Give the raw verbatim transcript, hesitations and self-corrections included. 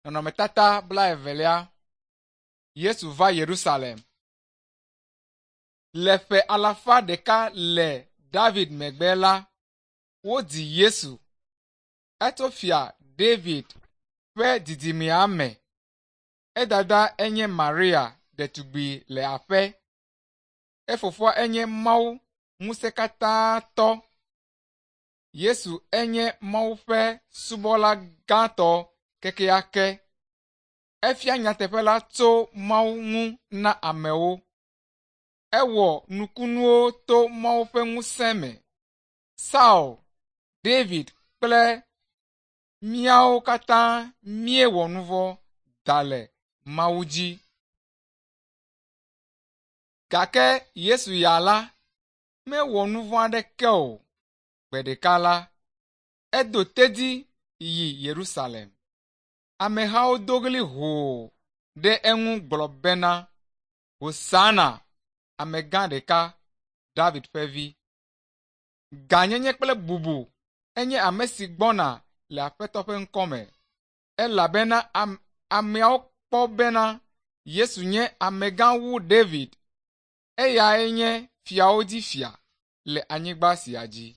Nɔnɔmetata blaevelia. Yesu va Yerusalem. Le ƒe alafa ɖeka le David megbe la, wodzi Yesu. Etso fia David ƒe dzidzimea me. Edada enye Maria ɖetugbi le aƒe. Efofoa enye Mawu ŋusẽkatãtɔ. Yesu enye Mawu ƒe subɔla gãtɔ kekeake. Efia nyateƒe la tso Mawu ŋu na amewo. Ewɔ nukunuwo to Mawu ƒe ŋusẽ me. Saul, David kple míawo katã míewɔ nu vɔ̃ da le Mawu dzi. Gake Yesu ya la, mewɔ nu vɔ̃ aɖeke o. Gbe ɖeka la, edo tedzi yi Yerusalem. Amehawo do ɣli hoo ɖe eŋu gblɔ bena, Hosana, amegã ɖeka, David ƒe vi. Gãnyenye kple bubu enye ame si gbɔna le Aƒetɔ ƒe ŋkɔme elabena am ameawo kpɔ bena Yesu nye amegã wu David. Eyae nye fiawo dzi fia le anyigba sia dzi.